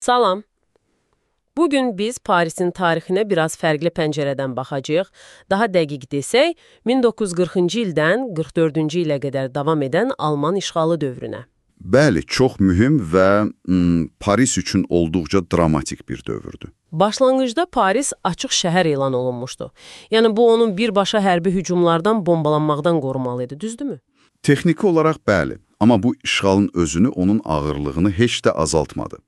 Salam. Bugün biz Parisin tarixinə biraz fərqli pəncərədən baxacağıq. Daha dəqiq desək, 1940-cı ildən 44-cü ilə qədər davam edən Alman işğalı dövrünə. Bəli, çox mühüm və Paris üçün olduqca dramatik bir dövrdür. Başlanğıcda Paris açıq şəhər elan olunmuşdu. Yəni bu onun birbaşa hərbi hücumlardan, bombalanmaqdan qorumalı idi, düzdürmü? Texniki olaraq bəli, amma bu işğalın özünü, onun ağırlığını heç də azaltmadı.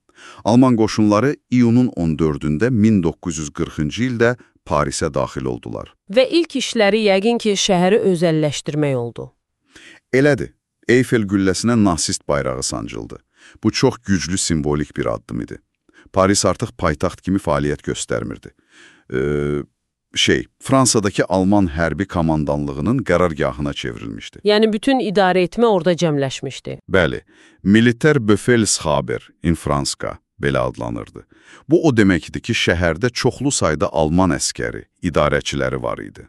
Alman qoşunları iyunun 14-də 1940-cı ildə Parisə daxil oldular. Və ilk işləri yəqin ki, şəhəri özəlləşdirmək oldu. Elədir. Eyfel gülləsinə nasist bayrağı sancıldı. Bu çox güclü simvolik bir addım idi. Paris artıq paytaxt kimi fəaliyyət göstərmirdi. Fransadakı Alman hərbi komandanlığının qərargahına çevrilmişdi. Yəni bütün idarə etmə orada cəmləşmişdi. Bəli, Militär Befehlshaber in Franska belə adlanırdı. Bu o deməkdir ki, şəhərdə çoxlu sayda Alman əskəri, idarəçiləri var idi.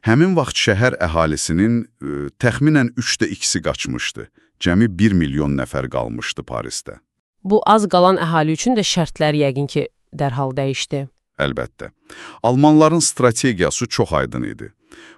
Həmin vaxt şəhər əhalisinin təxminən 3də 2-si qaçmışdı. Cəmi 1 milyon nəfər qalmışdı Parisdə. Bu az qalan əhali üçün də şərtlər yəqin ki, dərhal dəyişdi. Əlbəttə. Almanların strategiyası çox aydın idi.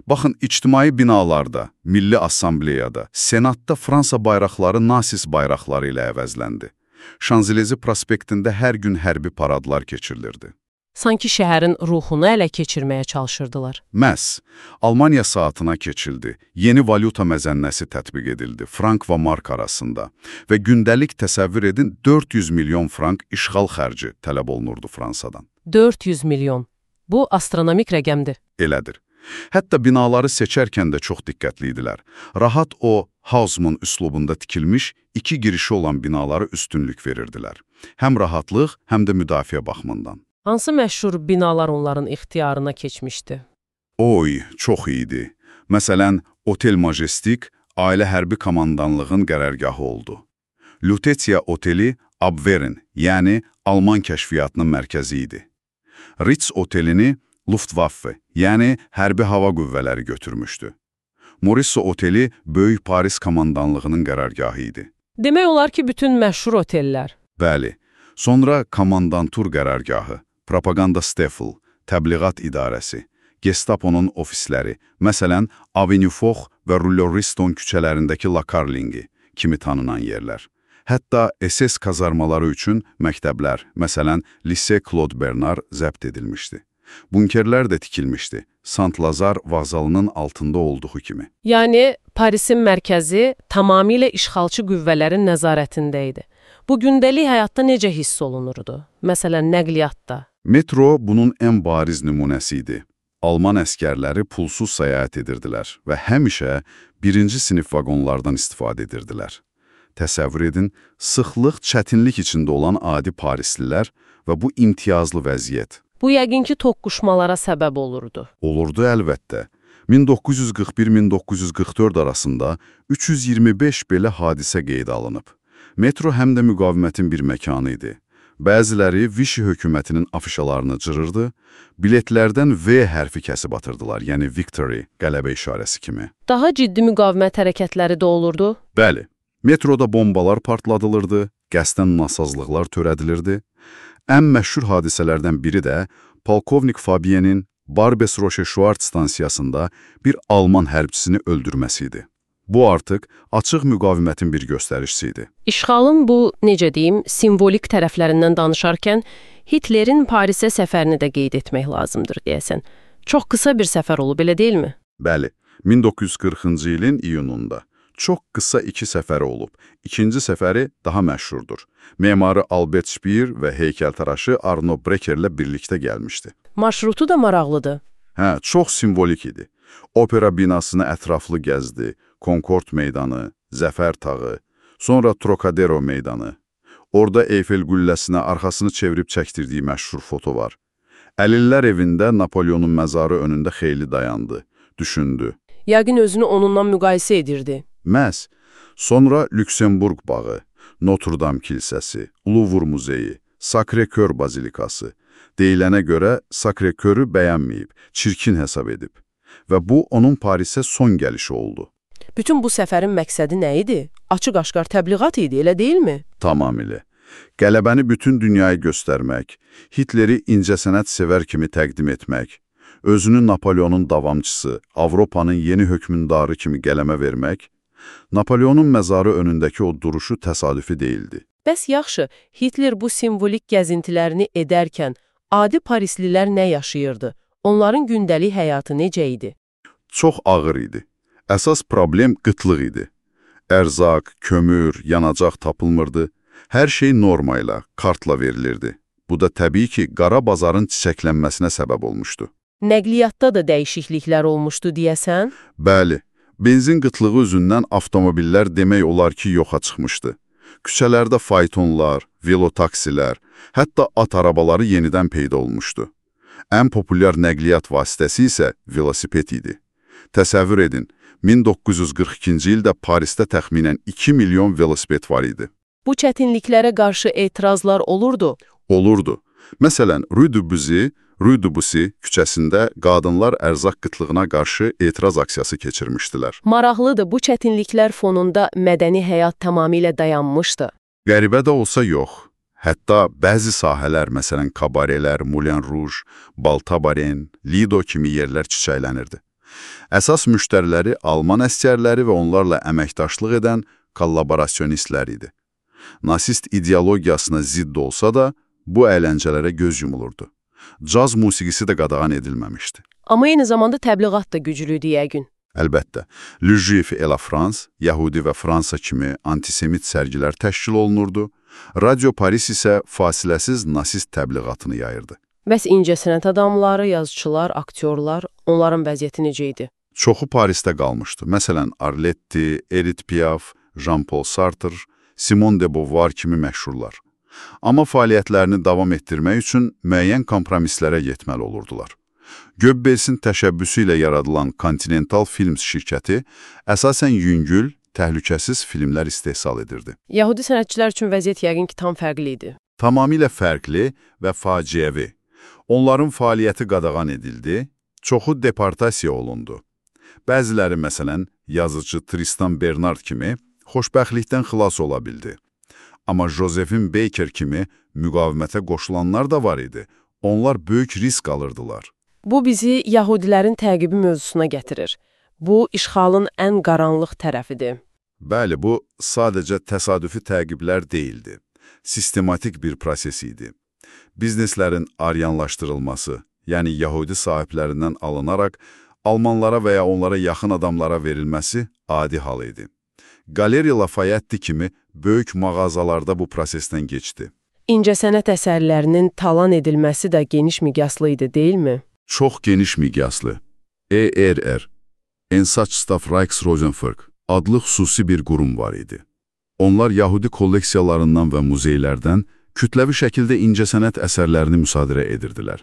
Baxın, ictimai binalarda, Milli Assambleyada, Senatda Fransa bayraqları nasis bayraqları ilə əvəzləndi. Şanzelize prospektində hər gün hərbi paradlar keçirilirdi. Sanki şəhərin ruhunu ələ keçirməyə çalışırdılar. Məhz, Almaniya saatına keçildi, yeni valyuta məzənnəsi tətbiq edildi, frank və mark arasında və gündəlik təsəvvür edin 400 milyon frank işğal xərci tələb olunurdu Fransadan. 400 milyon. Bu astronomik rəqəmdir. Elədir. Hətta binaları seçərkən də çox diqqətli idilər. Rahat o, Haussmann üslubunda tikilmiş 2 girişi olan binalara üstünlük verirdilər. Həm rahatlıq, həm də müdafiə baxımından. Hansı məşhur binalar onların ixtiyarına keçmişdi? Oy, çox iyiydi. Məsələn, Otel Majestic ailə hərbi komandanlığın qərargahı oldu. Lutetia Oteli Abwehr'in, yəni Alman kəşfiyyatının mərkəzi idi. Ritz Otelini Luftwaffe, yəni hərbi hava qüvvələri götürmüşdü. Morisot Oteli Böyük Paris komandanlığının qərargahı idi. Demək olar ki, bütün məşhur otellər. Bəli. Sonra komandantur qərargahı, propaganda Steffel, təbliğat idarəsi, Gestapo'nun ofisləri, məsələn, Avenue Foch və Rouleau-Riston küçələrindəki La Carlingue kimi tanınan yerlər. Hətta SS kazarmaları üçün məktəblər, məsələn, Lycée Claude Bernard zəbt edilmişdi. Bunkerlər də tikilmişdi, Sant-Lazar vağzalının altında olduğu kimi. Yəni, Parisin mərkəzi tamamilə işğalçı qüvvələrin nəzarətində idi. Bu gündəlik həyatda necə hiss olunurdu? Məsələn, nəqliyyatda. Metro bunun ən bariz nümunəsi idi. Alman əskərləri pulsuz səyahət edirdilər və həmişə birinci sinif vaqonlardan istifadə edirdilər. Təsəvvür edin, sıxlıq, çətinlik içində olan adi parislilər və bu imtiyazlı vəziyyət. Bu yəqin ki, toqquşmalara səbəb olurdu. Olurdu əlbəttə. 1941-1944 arasında 325 belə hadisə qeydə alınıb. Metro həm də müqavimətin bir məkanı idi. Bəziləri Vichy hökumətinin afişalarını cırırdı, biletlərdən V hərfi kəsib atırdılar, yəni Victory, qələbə işarəsi kimi. Daha ciddi müqavimət hərəkətləri də olurdu? Bəli. Metroda bombalar partladılırdı, qəsdən nasazlıqlar törədilirdi. Ən məşhur hadisələrdən biri də polkovnik Fabienin Barbes-Roche-Schwartz stansiyasında bir Alman hərbçisini öldürməsi idi. Bu artıq açıq müqavimətin bir göstəricisi idi. İşğalın bu, necə deyim, simvolik tərəflərindən danışarkən Hitlerin Parisə səfərini də qeyd etmək lazımdır, deyəsən. Çox qısa bir səfər olub, elə deyilmi? Bəli, 1940-cı ilin iyununda. Çox qısa 2 səfəri olub. İkinci səfəri daha məşhurdur. Memarı Albert Speer və heykəltaraşı Arno Breckerlə birlikdə gəlmişdi. Marşrutu da maraqlıdır. Hə, çox simvolik idi. Opera binasını ətraflı gəzdi, Concord meydanı, Zəfər tağı, sonra Trocadero meydanı. Orada Eyfel qülləsinə arxasını çevirib çəkdirdiyi məşhur foto var. Əlillər evində Napoleonun məzarı önündə xeyli dayandı, düşündü. Yəqin özünü onunla müqayisə edirdi. Məhz. Sonra Lüksemburg bağı, Notre-Dame kilsəsi, Louvre muzeyi, Sacré-Cœur bazilikası. Deyilənə görə Sacré-Cœur'ü bəyənməyib, çirkin hesab edib. Və bu, onun Parisə son gəlişi oldu. Bütün bu səfərin məqsədi nə idi? Açıq-aşkar təbliğat idi, elə deyilmi? Tamamilə. Qələbəni bütün dünyaya göstərmək, Hitleri incəsənət sevər kimi təqdim etmək, özünü Napoleonun davamçısı, Avropanın yeni hökmündarı kimi qələmə vermək, Napoleonun məzarı önündəki o duruşu təsadüfi deyildi. Bəs yaxşı, Hitler bu simvolik gəzintilərini edərkən adi parislilər nə yaşayırdı? Onların gündəlik həyatı necə idi? Çox ağır idi. Əsas problem qıtlıq idi. Ərzaq, kömür, yanacaq tapılmırdı. Hər şey norma ilə, kartla verilirdi. Bu da təbii ki, qara bazarın çiçəklənməsinə səbəb olmuşdu. Nəqliyyatda da dəyişikliklər olmuşdu deyəsən? Bəli, benzin qıtlığı üzündən avtomobillər demək olar ki, yoxa çıxmışdı. Küçələrdə faytonlar, velotaksilər, hətta at arabaları yenidən peyda olmuşdu. Ən populyar nəqliyyat vasitəsi isə velosiped idi. Təsəvvür edin, 1942-ci ildə Parisdə təxminən 2 milyon velosiped var idi. Bu çətinliklərə qarşı etirazlar olurdu? Olurdu. Məsələn, Rue de Bussy küçəsində qadınlar ərzaq qıtlığına qarşı etiraz aksiyası keçirmişdilər. Maraqlıdır, bu çətinliklər fonunda mədəni həyat tamamilə dayanmışdı. Qəribə də olsa yox. Hətta bəzi sahələr, məsələn, kabarelər, Moulin Rouge, Baltabaren, Lido kimi yerlər çiçəklənirdi. Əsas müştəriləri Alman əsgərləri və onlarla əməkdaşlıq edən kollaborasionistlər idi. Nasist ideologiyasına zidd olsa da, bu əyləncələrə göz yumulurdu. Caz musiqisi də qadağan edilməmişdi. Amma eyni zamanda təbliğat da güclüydü yəqin. Əlbəttə, Le Juif et la France, Yahudi və Fransa kimi antisemit sərgilər təşkil olunurdu. Radio Paris isə fasiləsiz nasist təbliğatını yayırdı. Bəs incəsənət adamları, yazıçılar, aktyorlar, onların vəziyyəti necə idi? Çoxu Parisdə qalmışdı. Məsələn, Arletty, Edith Piaf, Jean-Paul Sartre, Simone de Beauvoir kimi məşhurlar. Amma fəaliyyətlərini davam etdirmək üçün müəyyən kompromislərə yetməli olurdular. Goebbelsin təşəbbüsü ilə yaradılan Continental Films şirkəti əsasən yüngül, təhlükəsiz filmlər istehsal edirdi. Yahudi sənətçilər üçün vəziyyət yəqin ki, tam fərqli idi. Tamamilə fərqli və faciəvi. Onların fəaliyyəti qadağan edildi, çoxu deportasiya olundu. Bəziləri, məsələn, yazıcı Tristan Bernard kimi xoşbəxtlikdən xilas ola bildi. Amma Josephine Baker kimi müqavimətə qoşulanlar da var idi. Onlar böyük risk alırdılar. Bu bizi Yahudilərin təqibi mövzusuna gətirir. Bu, işğalın ən qaranlıq tərəfidir. Bəli, bu sadəcə təsadüfi təqiblər deyildi. Sistematik bir proses idi. Bizneslərin aryanlaşdırılması, yəni Yahudi sahiblərindən alınaraq Almanlara və ya onlara yaxın adamlara verilməsi adi hal idi. Galeriya Lafayette kimi böyük mağazalarda bu prosesdən geçdi. İncəsənət əsərlərinin talan edilməsi də geniş miqyaslı idi, deyilmi? Çox geniş miqyaslı. ERR, Einsatzstab Reichs-Rosenberg adlı xüsusi bir qurum var idi. Onlar Yahudi kolleksiyalarından və muzeylərdən kütləvi şəkildə incəsənət əsərlərini müsadirə edirdilər.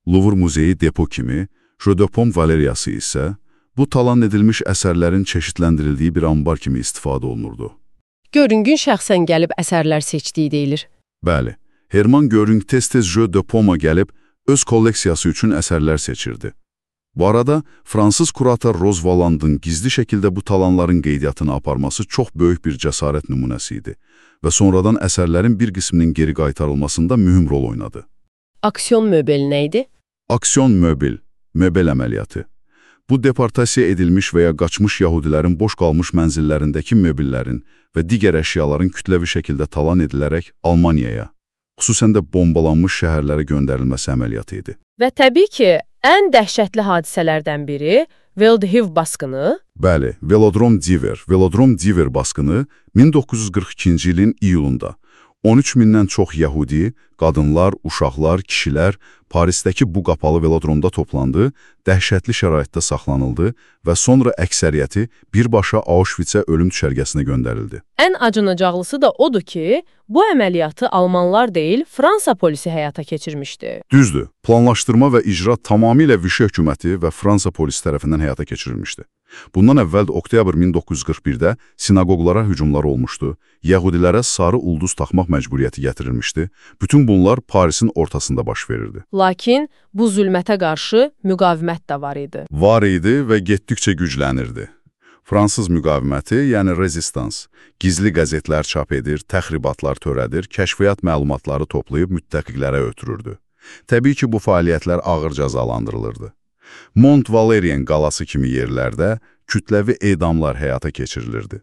Louvre muzeyi depo kimi, Jeu de Paume Valeriyası isə bu talan edilmiş əsərlərin çeşidləndirildiyi bir ambar kimi istifadə olunurdu. Görüngün şəxsən gəlib əsərlər seçdiyi deyilir. Bəli, Herman Göring tez-tez Jeu de Paume'a gəlib öz kolleksiyası üçün əsərlər seçirdi. Bu arada, Fransız kurator Rose Valland'ın gizli şəkildə bu talanların qeydiyyatını aparması çox böyük bir cəsarət nümunəsi idi və sonradan əsərlərin bir qisminin geri qaytarılmasında mühüm rol oynadı. Aksiyon möbeli nə idi? Aksiyon möbel əməliyyatı. Bu, deportasiya edilmiş və ya qaçmış yahudilərin boş qalmış mənzillərindəki möbillərin və digər əşyaların kütləvi şəkildə talan edilərək Almaniyaya, xüsusən də bombalanmış şəhərlərə göndərilməsi əməliyyatı idi. Və təbii ki, ən dəhşətli hadisələrdən biri Veldihiv basqını. Bəli, Velodrom Diver basqını 1942-ci ilin iyulunda 13 mindən çox yəhudi, qadınlar, uşaqlar, kişilər Parisdəki bu qapalı velodromda toplandı, dəhşətli şəraitdə saxlanıldı və sonra əksəriyyəti birbaşa Auschwitzə ölüm düşərgəsinə göndərildi. Ən acınacaqlısı da odur ki, bu əməliyyatı Almanlar deyil, Fransa polisi həyata keçirmişdi. Düzdür, planlaşdırma və icra tamamilə Vichy hökuməti və Fransa polisi tərəfindən həyata keçirilmişdi. Bundan əvvəl oktyabr 1941-də sinagoglara hücumlar olmuşdu, yəhudilərə sarı ulduz taxmaq məcburiyyəti gətirilmişdi. Bütün bunlar Parisin ortasında baş verirdi. Lakin bu zülmətə qarşı müqavimət də var idi. Var idi və getdikcə güclənirdi. Fransız müqaviməti, yəni rezistans, gizli qəzetlər çap edir, təxribatlar törədir, kəşfiyyat məlumatları toplayıb müttəfiqlərə ötürürdü. Təbii ki, bu fəaliyyətlər ağır cəzalandırılırdı. Mont Valérien qalası kimi yerlərdə kütləvi edamlar həyata keçirilirdi.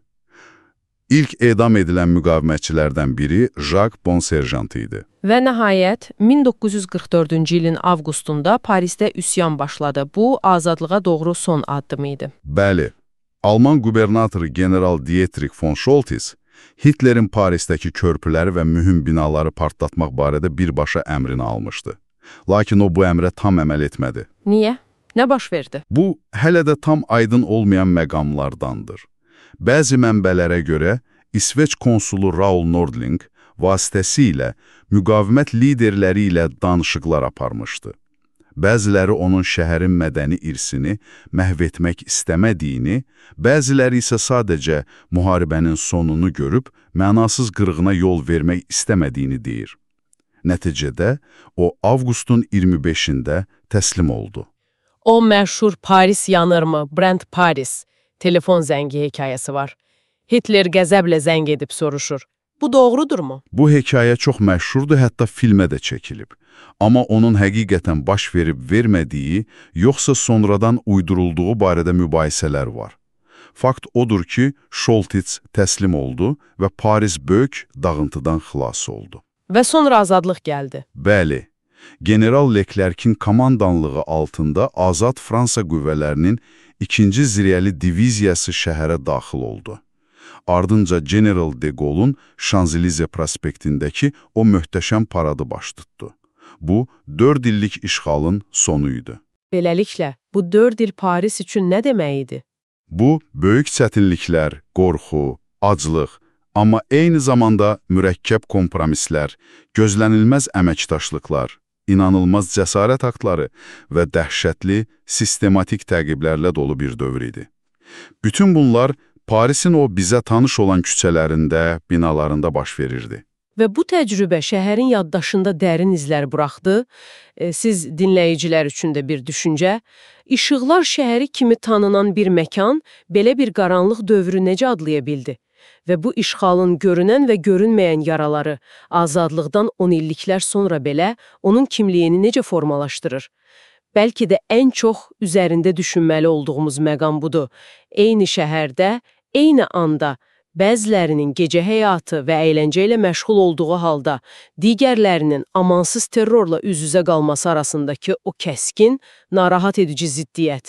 İlk edam edilən müqavimətçilərdən biri Jacques Bonsergent idi. Və nəhayət, 1944-cü ilin avqustunda Parisdə üsyan başladı. Bu, azadlığa doğru son addım idi. Bəli, Alman qubernatoru general Dietrich von Scholtes Hitlerin Parisdəki körpüləri və mühüm binaları partlatmaq barədə birbaşa əmrini almışdı. Lakin o bu əmrə tam əməl etmədi. Niyə? Nə baş verdi? Bu, hələ də tam aydın olmayan məqamlardandır. Bəzi mənbələrə görə İsveç konsulu Raoul Nordling vasitəsilə müqavimət liderləri ilə danışıqlar aparmışdı. Bəziləri onun şəhərin mədəni irsini məhv etmək istəmədiyini, bəziləri isə sadəcə müharibənin sonunu görüb mənasız qırğına yol vermək istəmədiyini deyir. Nəticədə o avqustun 25-də təslim oldu. O məşhur Paris yanırmı, Brent Paris telefon zəngi hekayəsi var. Hitler qəzəblə zəng edib soruşur. Bu doğrudurmu? Bu hekayə çox məşhurdur, hətta filmə də çəkilib. Amma onun həqiqətən baş verib-vermədiyi, yoxsa sonradan uydurulduğu barədə mübahisələr var. Fakt odur ki, Scholtes təslim oldu və Paris böyük dağıntıdan xilas oldu. Və sonra azadlıq gəldi. Bəli, General Leclerc'in komandanlığı altında azad Fransa qüvvələrinin 2-ci Ziriyəli diviziyası şəhərə daxil oldu. Ardınca General de Gaulle'un Şanzelize prospektindəki o möhtəşəm paradı baş tutdu. Bu, 4 illik işğalın sonu idi. Beləliklə, bu 4 il Paris üçün nə demək idi? Bu, böyük çətinliklər, qorxu, aclıq, amma eyni zamanda mürəkkəb kompromislər, gözlənilməz əməkdaşlıqlar, inanılmaz cəsarət aktları və dəhşətli, sistematik təqiblərlə dolu bir dövr idi. Bütün bunlar Parisin o bizə tanış olan küçələrində, binalarında baş verirdi. Və bu təcrübə şəhərin yaddaşında dərin izlər buraxdı. Siz dinləyicilər üçün də bir düşüncə. İşıqlar şəhəri kimi tanınan bir məkan belə bir qaranlıq dövrü necə adlaya bildi? Və bu işğalın görünən və görünməyən yaraları azadlıqdan 10 illiklər sonra belə onun kimliyini necə formalaşdırır? Bəlkə də ən çox üzərində düşünməli olduğumuz məqam budur. Eyni şəhərdə, eyni anda bəzilərinin gecə həyatı və əyləncə ilə məşğul olduğu halda digərlərinin amansız terrorla üz-üzə qalması arasındakı o kəskin, narahat edici ziddiyyət.